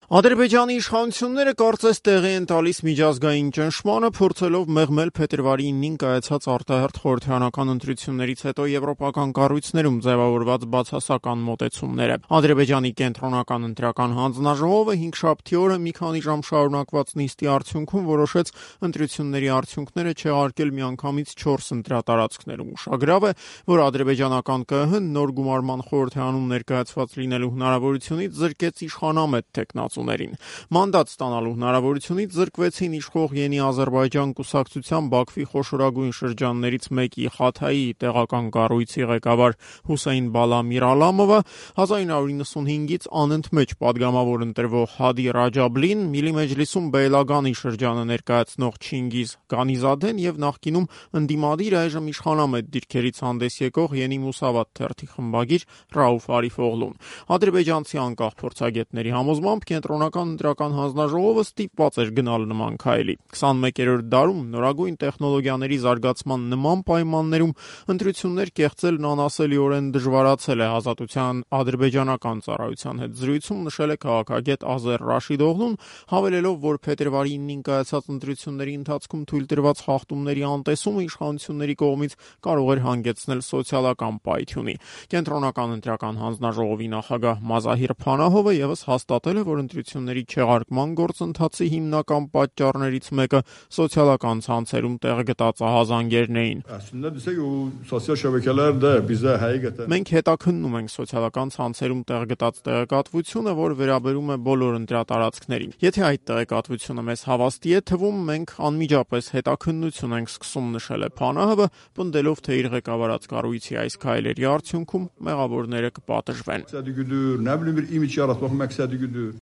Ադրբեջանի իշխանությունները կարծես տեղի են տալիս միջազգային ճնշմանը, փորձելով մեղմել փետրվարի 9-ին կայացած արտահերթ խորհրդարանական ընտրություններից հետո եվրոպական կառույցներում ձևավորված բացասական մոտեցումները։ Ադրբեջանի կենտրոնական ընտրական հանձնաժողովը հինգշաբթի օրը մի քանի ժամ շարունակված նիստի արդյունքում որոշեց ընտրությունների արդյունքները չեղարկել միանգամից 4 ընտրատարածքներում։ Ուշագրավ է, որ ադրբեջանական ԿԸՀ-ն նոր գումարման խորհրդարանում ներկայացված լինելու հնարավորությունից զրկեց իշխանամետ թեկնածու։ Մանդատ ստանալու հնարավորությունից զրկվեցին իշխող Ենի Ադրբեջան կուսակցության Բաքվի խոշորագույն շրջաններից մեկի Խաթայի տեղական կառույցի ղեկավար Հուսեյն Բալա Միրալամովը, 1995-ից անընդմեջ падգամավոր ընտրվող Հադի Ռաջաբլին, Միլի Մեջլիսում Բեյլագանի շրջանը ներկայացնող Չինգիզ Գանիզադեն եւ նախկինում ընդդիմադիր այժմ իշխանամետ դիրքերից հանդես եկող Ենի Մուսավատ թերթի խմբագիր Ռաուֆ Արիֆօղլուն։ Ադրբեջանցի անկախ փորձագետների համոզմամբ Կենտրոնական ընտրական հանձնաժողովը ստիպված էր գնալ նման քայլի։ 21-րդ դարում նորագույն տեխնոլոգիաների զարգացման նման պայմաններում ընտրություններ կեղծելն անասելիորեն դժվարացել է, Ազատության ադրբեջանական ծառայության հետ զրույցում նշել է քաղաքագետ Ազեր Ռաշիդօղլուն, հավելելով, որ փետրվարի 9-ին կայացած ընտրությունների ընթացքում թույլ տրված խախտումների անտեսումը իշխանությունների կողմից կարող էր հանգեցնել սոցիալական պայթյունի։ Կենտրոնական ընտրական հանձնաժողովի նախագահ Մազահիր Փանահովը ևս հաստատել է, որ ընտրությունների չեղարկման գործընթացի հիմնական պատճառներից մեկը սոցիալական ցանցերում տեղ գտած ահազանգերն էին։ Մենք հետաքննում ենք սոցիալական ցանցերում տեղ գտած տեղեկատվությունը, որ վերաբերում է բոլոր ընտրատարածքներին։ Եթե այդ տեղեկատվությունը մեզ հավաստի է թվում, մենք անմիջապես հետաքննություն ենք սկսում, նշել է Փանահովը, պնդելով, թե իր ղեկավարած կառույցի այս քայլերի արդյունքում մեղավորները կպատժվեն։